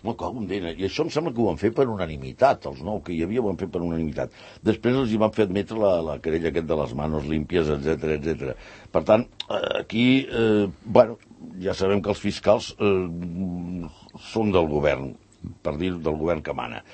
No, com dena. I això em sembla que ho van fer per unanimitat, els nou que hi havia ho van fer per unanimitat. Després els hi van fer admetre la, la querella aquest de les manos límpies, etcètera, etcètera. Per tant, aquí, eh, bueno, ja sabem que els fiscals eh, són del govern, per dir del govern que mana.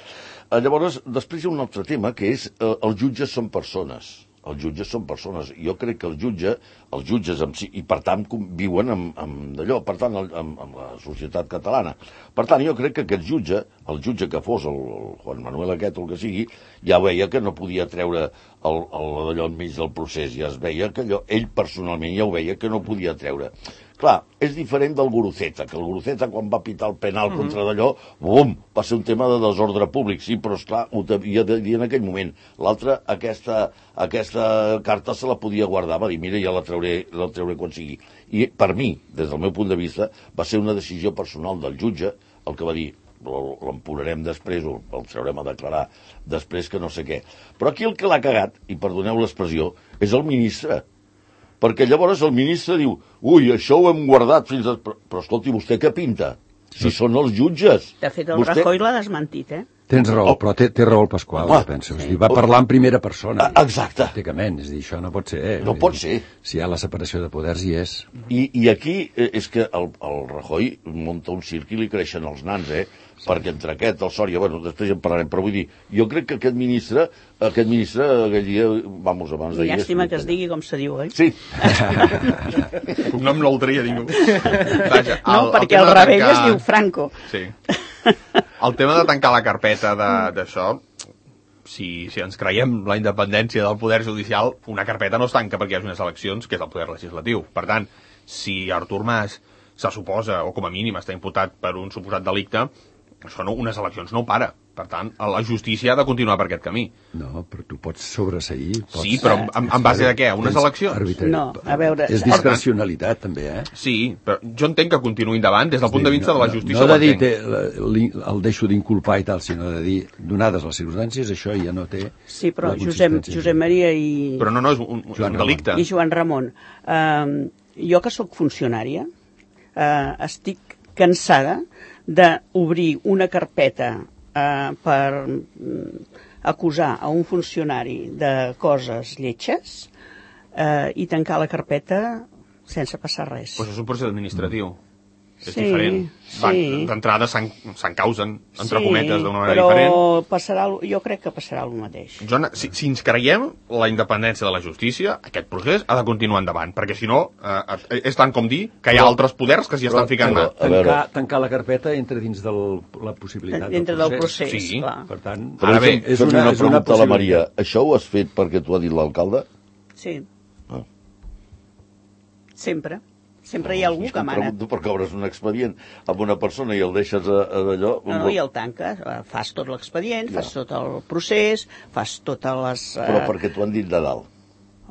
Eh, llavors, després hi ha un altre tema, que és eh, els jutges són persones. Els jutges són persones. Jo crec que el jutge, els jutges en si, i per tant viuen amb, amb d'allò, per tant, amb, amb la societat catalana. Per tant, jo crec que aquest jutge, el jutge que fos, el, el Juan Manuel aquest o el que sigui, ja veia que no podia treure el, el, d'allò enmig del procés, ja es veia que allò, ell personalment ja ho veia que no podia treure. Clar, és diferent del Guruceta, que el Guruceta quan va pitar el penal mm-hmm. contra d'allò, bum, va ser un tema de desordre públic, sí, però esclar, ho havia de dir en aquell moment. L'altre, aquesta, aquesta carta se la podia guardar, va dir, mira, ja la trauré, la trauré quan sigui. I per mi, des del meu punt de vista, va ser una decisió personal del jutge, el que va dir, l'empurarem després o el traurem a declarar després que no sé què. Però aquí el que l'ha cagat, i perdoneu l'expressió, és el ministre. Perquè llavors el ministre diu, ui, això ho hem guardat fins a... Però, però escolti, vostè què pinta? Si són els jutges. De fet, el vostè... Rajoy l'ha desmentit, eh? Tens raó, oh. però té, té raó el Pasqual, ah, penso. Sí. Va parlar en primera persona. Ah, exacte. Pràcticament, és dir, això no pot ser. Eh? No pot ser. Si hi ha la separació de poders, hi és. I, i aquí és que el, el Rajoy munta un circ i li creixen els nans, eh? Sí. Perquè entre aquest, el Sòria, bueno, després en parlarem, però vull dir, jo crec que aquest ministre, aquest ministre, aquell dia, vamos, abans d'ahir... Llàstima que es digui com se diu, oi? Sí. Cognom no el tria ningú. Vaja, el, no, perquè al rebell tancar... es diu Franco. Sí. El tema de tancar la carpeta d'això, si, si ens creiem la independència del poder judicial, una carpeta no es tanca perquè hi hagi unes eleccions, que és el poder legislatiu. Per tant, si Artur Mas se suposa, o com a mínim està imputat per un suposat delicte, això no, unes eleccions no ho para. Per tant, la justícia ha de continuar per aquest camí. No, però tu pots sobreseir. Pots... Sí, però en, en base de què? Unes eleccions? Arbitrari. No, a veure... És discrecionalitat, també, eh? Sí, però jo entenc que continuï endavant des del punt de vista no, de la justícia. No, no de dir te, el deixo d'inculpar i tal, sinó de dir, donades les circumstàncies, això ja no té... Sí, però Josep, Josep Maria i... Però no, no, és un, un delicte. I Joan Ramon, eh, jo que sóc funcionària, eh, estic cansada d'obrir una carpeta eh, per mm, acusar a un funcionari de coses lletges eh, i tancar la carpeta sense passar res. Pues és un procés administratiu. És sí, diferent. Sí. D'entrada s'encausen, entre sí, cometes, d'una manera però diferent. Passarà, jo crec que passarà el mateix. Joan, si, si ens creiem la independència de la justícia, aquest procés ha de continuar endavant, perquè si no, eh, és tant com dir que hi ha però, altres poders que s'hi estan ficant mà. Tancar, tancar la carpeta entra dins de la possibilitat dintre del procés. procés. Sí, clar. Per tant, però ara bé, és una, una, és una pregunta a la Maria. Això ho has fet perquè t'ho ha dit l'alcalde? Sí. Ah. Sempre. Sempre hi ha algú que mana. Pregunto perquè obres un expedient amb una persona i el deixes a, a d'allò... No, no, i el tanques. Fas tot l'expedient, ja. Fas tot el procés, fas totes les... Uh... Però perquè t'ho han dit de dalt.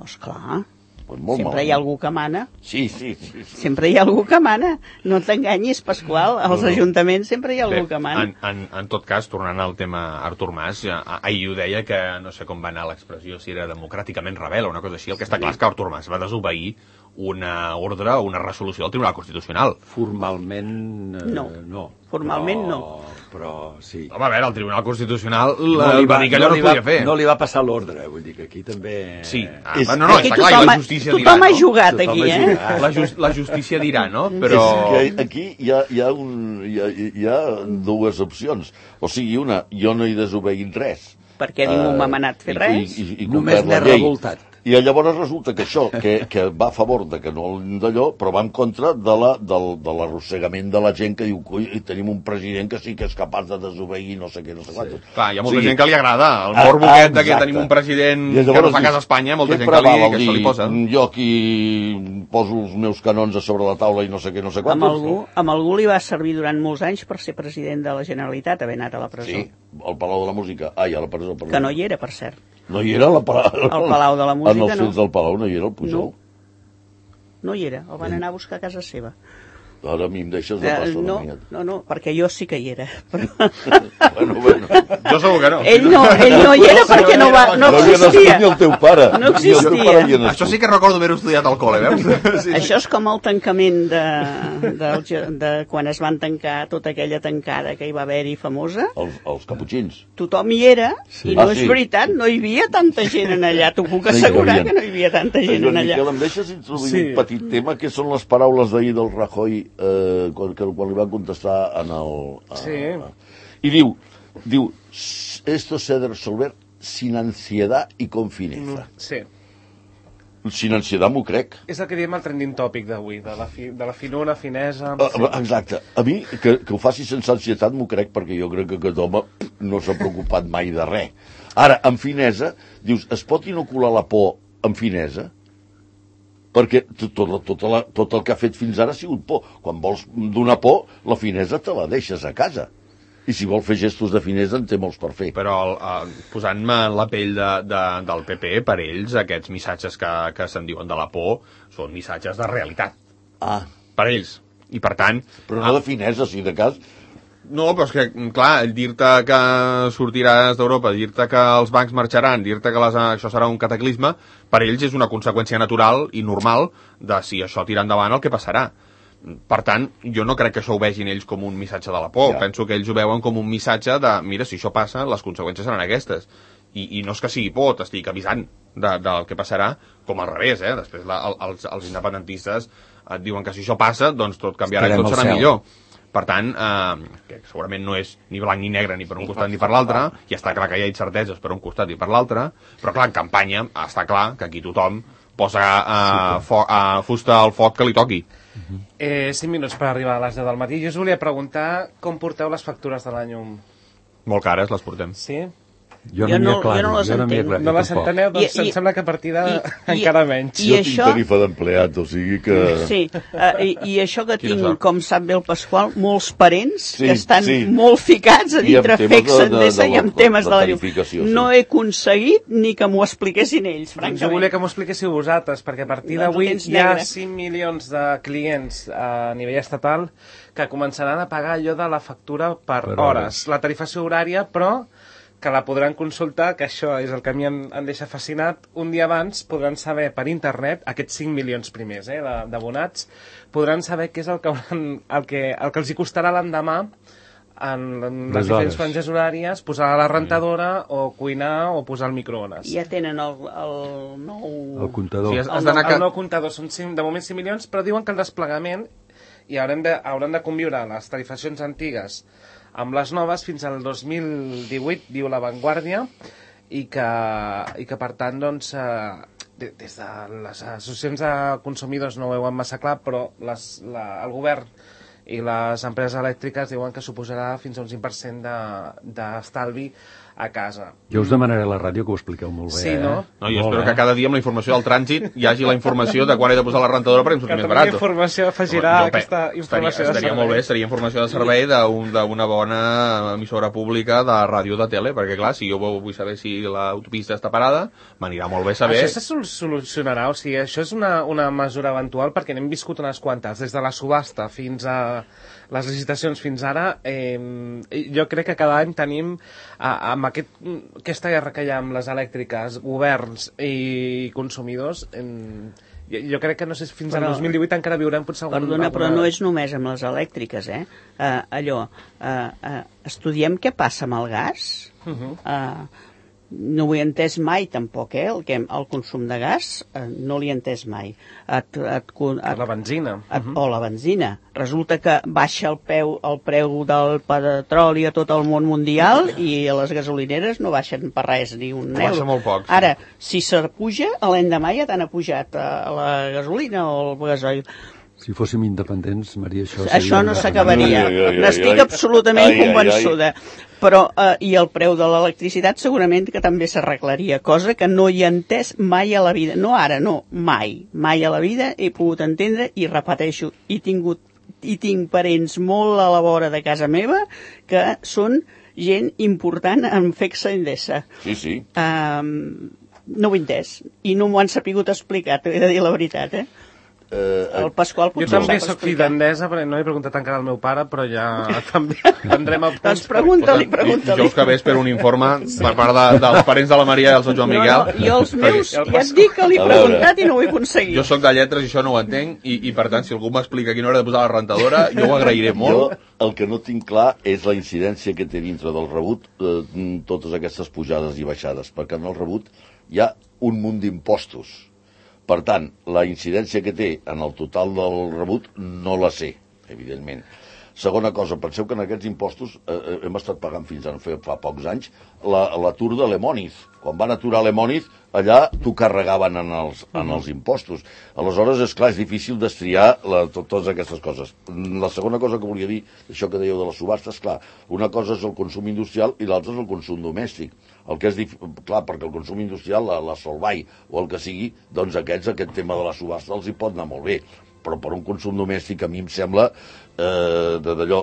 Esclar. Pues molt Sempre malament. hi ha algú que mana. Sí, sí, sí, sí. Sempre hi ha algú que mana. No t'enganyis, Pasqual. Als no, no. ajuntaments sempre hi ha algú Bé, que mana. En, en, en tot cas, tornant al tema Artur Mas, ja, ahir ho deia que no sé com va anar l'expressió, si era democràticament rebel o una cosa així. El que està clar és que Artur Mas va desobeir una ordre o una resolució del Tribunal Constitucional. Formalment eh, no. no. Formalment però, no. Però sí. Home, a veure, el Tribunal Constitucional no va, va dir que allò no, no es podia fer. No li va passar l'ordre, vull dir que aquí també... Sí, ah, és, no, no, aquí està clar, i la justícia dirà, tothom ha no? jugat Tothom aquí, eh? La, just, la justícia dirà, no? Però... És que aquí hi ha, hi, ha un, hi, ha, hi ha dues opcions. O sigui, una, jo no he desobeït res. Perquè ningú m'ha manat fer res. I, i, i només n'he revoltat. I llavors resulta que això, que, que va a favor de que no d'allò, però va en contra de la, del, de l'arrossegament de la gent que diu que tenim un president que sí que és capaç de desobeir no sé què, no sé quantos. Sí. Clar, hi ha molta sí. gent que li agrada el morbo ah, aquest de que tenim un president que no fa cas a Espanya, molta gent que, li, que això li posa. Jo aquí poso els meus canons a sobre la taula i no sé què, no sé quantos. Amb algú, amb algú li va servir durant molts anys per ser president de la Generalitat, haver anat a la presó. Sí, al Palau de la Música. Ai, a la presó, perdó. Que no hi era, per cert. No hi era la Palau... Al Palau de la Música, no. En els fets del Palau no hi era el Pujol. No, no hi era, el van anar a buscar a casa seva. Ara a mi em deixes de passar uh, no, una no, no, perquè jo sí que hi era. Però... bueno, bueno. Jo segur que no. Ell no, ell no hi era perquè no, va, no existia. Ni el teu pare. No existia. Això sí que recordo haver estudiat al col·le, veus? Sí. Això és com el tancament de, de, de, de quan es van tancar tota aquella tancada que hi va haver-hi famosa. Els, els caputxins. Tothom hi era, sí. I no ah, és sí. veritat, no hi havia tanta gent en allà. T'ho puc assegurar no que no hi havia tanta gent en allà. Miquel, em deixes introduir sí. un petit tema, que són les paraules d'ahir del Rajoy, eh, quan, quan li van contestar en el... A, sí. A, I diu, diu, esto se ha de resolver sin ansiedad y con fineza. Sí. Sin ansietat m'ho crec. És el que diem el trending tòpic d'avui, de, la fi, de la finura, finesa... Uh, exacte. A mi, que, que ho faci sense ansietat m'ho crec, perquè jo crec que aquest home no s'ha preocupat mai de res. Ara, amb finesa, dius, es pot inocular la por amb finesa? Perquè tot, tot, tot, la, tot el que ha fet fins ara ha sigut por. Quan vols donar por, la finesa te la deixes a casa. I si vol fer gestos de finesa en té molts per fer. Però uh, posant-me en la pell de, de, del P P, per ells aquests missatges que, que se'n diuen de la por són missatges de realitat. Ah. Per ells. I per tant... Però no ah, de finesa, si de cas... No, però és que, clar, dir-te que sortiràs d'Europa, dir-te que els bancs marxaran, dir-te que les, això serà un cataclisme, per ells és una conseqüència natural i normal de si això tira endavant el que passarà. Per tant, jo no crec que això ho vegin ells com un missatge de la por. Ja. Penso que ells ho veuen com un missatge de, mira, si això passa, les conseqüències seran aquestes. I, i no és que sigui por, t'estic avisant de, del que passarà, com al revés, eh? Després la, els, els independentistes et diuen que si això passa, doncs tot canviarà i tot serà millor. Per tant, eh, que segurament no és ni blanc ni negre ni per un costat ni per l'altre, i està clar que hi ha incerteses per un costat i per l'altre, però clar, en campanya està clar que aquí tothom posa eh, fo eh, fusta al foc que li toqui. Eh, cinc minuts per arribar a les deu del matí. Jo us volia preguntar com porteu les factures de la llum. Molt cares les portem. Sí? Jo no, no, jo no les jo no entenc. No les enteneu? Doncs I, em i, sembla que a partir de encara menys. I jo tinc això... tarifa d'empleat, o sigui que... Sí, uh, i, i això que tinc, sort? Com sap bé el Pasqual, molts parents sí, que estan sí. molt ficats a dintre Fexa Endesa i amb temes de la llum. Sí. No he aconseguit ni que m'ho expliquessin ells, francament. Jo volia que m'ho expliquéssiu vosaltres, perquè a partir d'avui hi ha cinc milions de clients a nivell estatal que començaran a pagar allò de la factura per, per hores. La tarifació horària, però... que la podran consultar, que això és el que a mi em, em deixa fascinat. Un dia abans podran saber per internet, aquests cinc milions primers eh, d'abonats, podran saber què és el que, el que, el que els hi costarà l'endemà en, en les, les diferents franges horàries, posar la rentadora mm. o cuinar o posar el microones. Ja tenen el, el nou... El comptador. Sí, el, el, el, el nou comptador. Són cinc, de moment cinc milions, però diuen que el desplegament i haurem de, hauran de conviure les tarifacions antigues amb les noves fins al dos mil divuit, diu La Vanguardia, i que, i que per tant, doncs, eh, des de les associacions de consumidors no ho veuen massa clar, però les, la, el govern i les empreses elèctriques diuen que suposarà fins a un cinc per cent d'estalvi de, a casa. Jo us demanaré a la ràdio que ho expliqueu molt bé. Sí, no? No, jo espero que cada dia amb la informació del trànsit hi hagi la informació de quan he de posar la rentadora perquè em surti Que més també barat. informació afegirà Home, jo pe- aquesta informació estaria, de estaria servei. molt bé, seria informació de servei d'un- d'una bona emissora pública de ràdio de tele, perquè clar, si jo vull saber si l'autopista està parada, m'anirà molt bé saber... Això se sol- solucionarà, o sigui, això és una, una mesura eventual perquè n'hem viscut unes quantes, des de la subhasta fins a les licitacions fins ara. Eh, jo crec que cada any tenim, eh, amb aquest, aquesta guerra que hi ha amb les elèctriques, governs i consumidors, eh, jo, jo crec que no sé si fins Però- al dos mil divuit encara viurem potser algun... Perdona, però alguna- no és només amb les elèctriques, eh? Uh, allò, uh, uh, estudiem què passa amb el gas. Uh -huh. uh, no ho he entès mai, tampoc, eh? El, que, el consum de gas uh, no l'he entès mai. Et, et, et, La benzina. et, o la benzina. Resulta que baixa el, peu, el preu del petroli a tot el món mundial i a les gasolineres no baixen per res, ni un euro. Baixa molt poc, sí. Ara, si se puja, l'endemà ja t'han pujat a la gasolina o el gasoil. Si fóssim independents, Maria, això seria... Això no s'acabaria. Ai, ai, ai, N'estic ai. absolutament Ai, ai, ai. convençuda. Però, eh, i el preu de l'electricitat segurament que també s'arreglaria, cosa que no hi he entès mai a la vida. No ara, no, mai. Mai a la vida he pogut entendre i repeteixo, he tingut i tinc parents molt a la vora de casa meva que són gent important en Fexa Endesa. Sí, sí. Um, no ho he entès i no m'ho han sapigut explicar, t'he de dir la veritat, eh? Eh, El Pasqual Jo potser ho també sap soc fill explicar. d'Endesa, però no he preguntat encara al meu pare, però ja també prendrem el Doncs pregunta-li, pregunta-li. Jo us que ve espero un informe per part de, dels parents de la Maria i el Joan Miquel. No, no, jo els meus, El ja et dic que l'he A veure. preguntat i no ho he aconseguit. Jo sóc de lletres i això no ho entenc, i, i per tant, si algú m'explica a quina hora he de posar la rentadora, jo ho agrairé Jo molt. el que no tinc clar és la incidència que té dintre del rebut eh, totes aquestes pujades i baixades, perquè en el rebut hi ha un munt d'impostos. Per tant, la incidència que té en el total del rebut no la sé, evidentment. Segona cosa, penseu que en aquests impostos eh, hem estat pagant fins a fa, fa pocs anys l'atur la, de l'Emoniz. Quan van aturar l'Emoniz, allà t'ho carregaven en els, en els impostos. Aleshores, és clar, és difícil destriar la, to, totes aquestes coses. La segona cosa que volia dir, això que dèieu de les subhastes, clar, una cosa és el consum industrial i l'altra és el consum domèstic. El que és dif... clar, perquè el consum industrial, la, la Solvay o el que sigui, doncs aquests, aquest tema de la subhasta els hi pot anar molt bé. Però per un consum domèstic a mi em sembla eh, d'allò.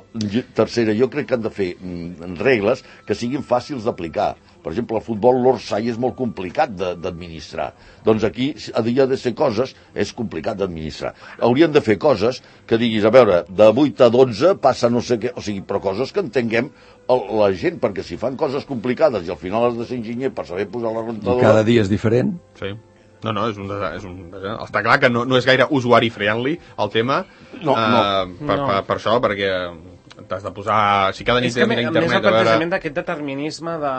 Tercera, jo crec que han de fer mm, regles que siguin fàcils d'aplicar. Per exemple, el futbol l'Orsay és molt complicat d'administrar. Doncs aquí havia de ser coses, és complicat d'administrar. Haurien de fer coses que diguis, a veure, de vuit a dotze passa no sé què, o sigui, però coses que entenguem el, la gent, perquè si fan coses complicades i al final has de ser enginyer per saber posar la I rentadora... cada dia és diferent. Sí. No, no, és un, és un, està clar que no, no és gaire usuari-friendly el tema. No, no. Uh, per, No. per, per això, perquè t'has de posar... Si cada nit És que, a tens més, internet, el a veure... plantejament d'aquest determinisme de...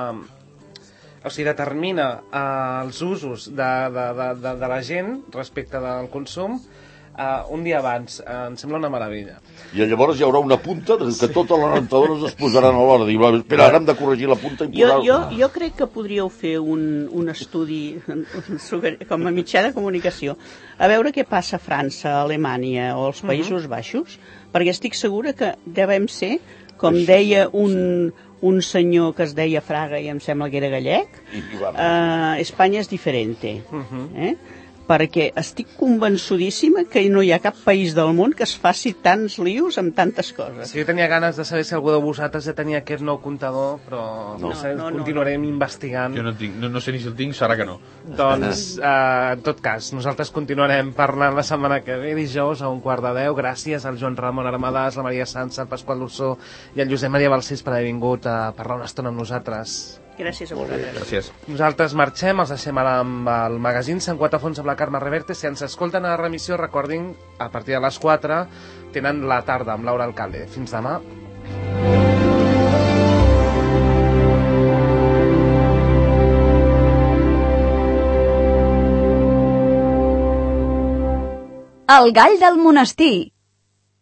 O sigui, determina eh, els usos de, de, de, de, de la gent respecte del consum eh, un dia abans. Eh, em sembla una meravella. I llavors hi haurà una punta que sí. Totes les rentadores es posaran a l'hora. Diu, espera, ara hem de corregir la punta i Jo, posar... jo, jo crec que podríeu fer un, un estudi com a mitjà de comunicació, a veure què passa a França, a Alemanya o als Països Baixos, perquè estic segura que devem ser, com deia un, un senyor que es deia Fraga i em sembla que era gallec, I, i va, uh, Espanya és diferente. Eh? Perquè estic convençudíssima que no hi ha cap país del món que es faci tants lius amb tantes coses. Sí, jo tenia ganes de saber si algú de vosaltres ja tenia aquest nou comptador, però no, No. sé, No, no, continuarem investigant. Jo no, tinc, no, no sé ni si el tinc, serà que no. Doncs, eh, en tot cas, nosaltres continuarem parlant la setmana que ve, dijous a un quart de deu. Gràcies al Joan Ramon Armadàs, la Maria Sanz, el Pasqual Lussó i el Josep Maria Balcells per haver vingut a parlar una estona amb nosaltres. Gràcies a vosaltres. Gràcies. Nosaltres marxem, els deixem ara amb el magazín Sant Quatre Fons amb la Carme Reverte. Si ens escolten a la remissió, recordin, a partir de les quatre tenen la tarda amb Laura Alcalde. Fins demà. El gall del monestir.